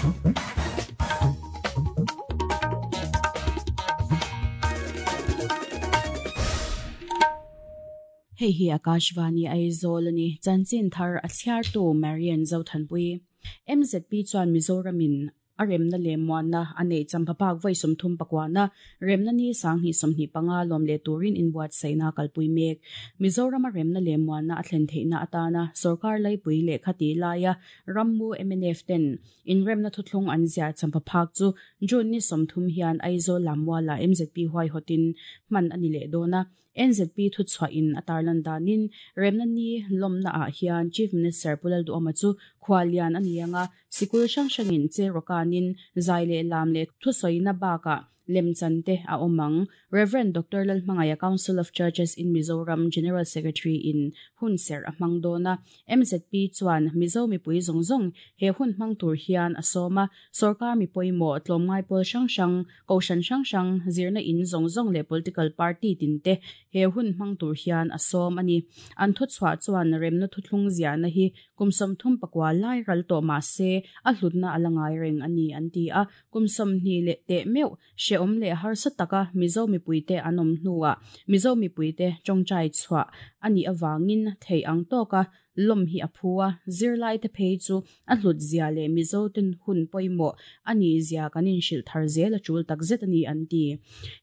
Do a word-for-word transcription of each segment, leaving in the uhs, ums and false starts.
Hei hi Akashvani Aizawl ani chanchin thar a chhiartu Marian Zothanpui M Z P chuan Mizoramin a remna leh muanna a nei champhaphak vawi sawmthum pakwana remna ni sanghnih sawmhnih panga lawm leh turin inbuatsaihna kalpui mek Mizoram a remna leh muanna a thlen theihna atana sarkar laipui leh khati laia rammu M N F ten inremna thuthlung an ziah champhaphak chu June ni sawmthum hian Aizawl lammuala M Z P huai hawtin hman ani leh dawna N Z P thu chhuahin a tarlan danin remna ni lawmna ah hian Chief Minister Pulal Duhoma chu khwalian ani anga sikul hrang hrangin che rokanin zai leh lam leh thusawiina bakah lemchante a awmang Reverend Doctor Lalhmangaya Council of Churches in Mizoram General Secretary in hunser a hmang dawna M Z P chuan Mizo mipui zawng zawng he hun hmang tur hian a sawma sarkar mi pawimawh tlawmngai pawl hrang hrang kohhran hrang hrang zirna in zawng zawng leh political party tinte he hun hmang tur hian a sawm ani an thu chhuah chuan remna thuthlung ziahna hi kum sawmthum pakua lai ral tawh mahse a hlutna a la ngai reng ani an ti a kum sawmhnih leh teh meuh hreawm leh harsa taka Mizo mipuite an awm hnuah Mizo mipuite tawngtai chhuah ani awangin thei ang tawka lawm hi a phua zirlai te phei chu a hlut zia leh Mizo ten hun pawimawh ani zia kanin hrilh thar zel a tul tak zet ani an ti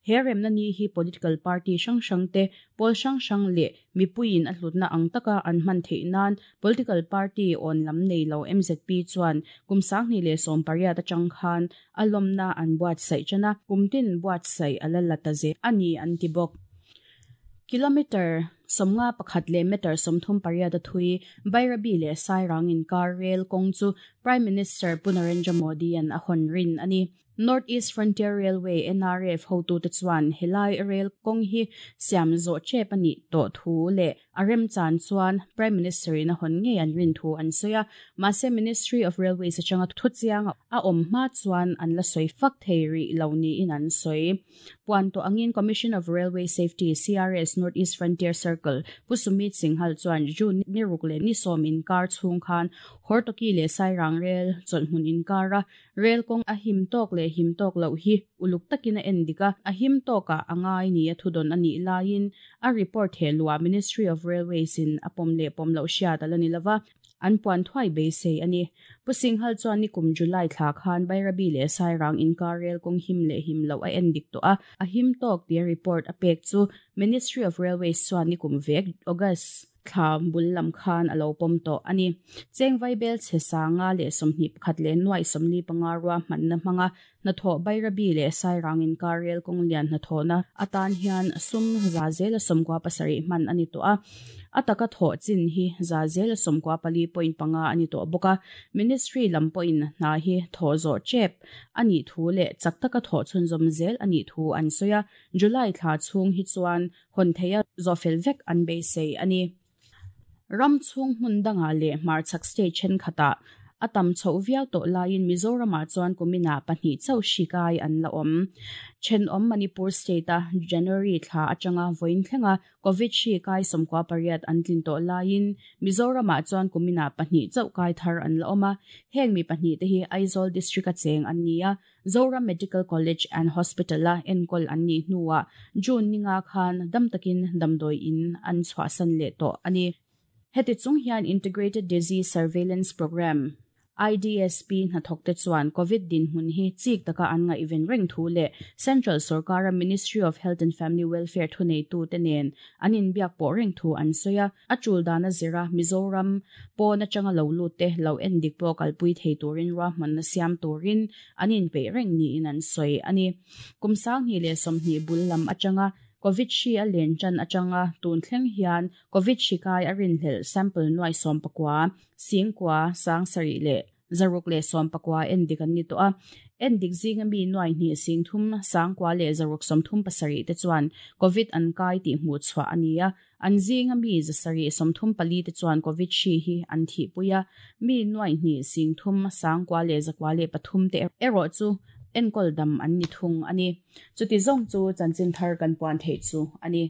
he remna ni hi political party hrang hrang te pawl hrang hrang leh mipuiin a hlutna ang taka an hman theih nan political party on lam nei lo M Z P chuan kum sanghnih leh sawm pariat atang khan a lawmna an buatsaih chana kumtin buatsaih a la la ta ze ani an ti bawk kilometer somnga pakhat leh meter sawmthum pariat a thui Bairabi leh Sairang inkar rail kawng chu Prime Minister Pu Narendra Modi an a hawn rin ani North East Frontier Railway N R F hotu te chuan helai rail kawng hi siam zawh chep ani tawh thu leh a rem chan chuan Prime Minister in a hawn ngei an rin thu an sawi a mahse Ministry of Railways atanga thu chiang a awm hma chuan an la sawi fak thei rih lo niin an sawi puan tawh angin Commission of Railway Safety C R S North East Frontier Circle Pu Sumit Singhal chuan June ni ruk leh ni sawm inkar chhung khan Hortoki leh Sairang rail chawlhhmun inkara rail kawng a him tawk leh him tawk loh hi uluk takin a en dik a a him tawkah a ngai ni a thudawn ani laiin a report he lua Ministry of Railways in a pawm leh pawm loh hriat a la ni lova an puan thuai beisei ani Pu Singhal chuan ni kum July thla khan Bairabi leh Sairang inkar rail kawng him leh him loh a en dik tawh a a him tawk tia report a pek chu Ministry of Railways chuan ni kum vek August thla bul lam khan a lo pawm tawh ani chengvai bel che sanga leh sawmhnih pakhat leh nuai sawmli panga rua hmanna hmanga hnathawh Bairabi leh Sairang inkar rail kawng lian hnathawhna atan hian sum za zela sawmkua pasarih hman ani tawh a a taka thawh chin hi za zela sawmkua pali point panga ani tawh bawk a ministry lam pawhin hna hi thawh zawh chep ani thu leh chak taka thawh chhunzawm zel ani thu an sawi a July thla chhung hi chuan hawn theia zawhfel vek an beisei ani ram chhung hmun danga leh hmarchhak state thenkhatah a tam chho viau tawh laiin Mizoramah chuan kumina pahnih chauh hri kai an la awm thenawm Manipur state a January thla atanga vawiin thlenga COVID hri kai sawmkua pariat an tlin tawh laiin Mizoramah chuan kumina pahnih chauh kai thar an la awm a heng mi pahnih te hi Aizawl district a cheng an ni a Zoram Medical College and Hospital a enkawl an nih hnuah June ninga khan dam takin damdawi in an chhuahsan leh tawh ani heti chung hian Integrated Disease Surveillance Program I D S P hnathawk te chuan COVID din hmun hi chik taka an nga even reng thu leh Central Sarkara Ministry of Health and Family Welfare thu nei tu te nen an inbiak pawh reng thu an sawi a a tul dana zira Mizoram pawn atanga lo lut te lo en dik pawh kalpui thei turin ruahmanna siam turin an inpeih reng niin an sawi ani kum sanghnih leh sawmhnih bul lam atanga COVID hri a len chan atanga tun thleng hian COVID hri kai a rinhlelh sample nuai sawm pakua singkua sang sarih leh zaruk leh sawm pakua en dik an ni tawh a en dik zinga mi nuai hnih singthum sangkua leh zaruk sawmthum pasarih te chuan COVID an kai tih hmuh chhuah ani a an zinga mi zasarih sawmthum pali te chuan COVID hri hi an thihpui a mi nuai hnih singthum sangkua leh zakua leh pathum te erawh chu enkawl dam an ni thung ani chuti zawng chu chanchin thar kan puan thei chu ani.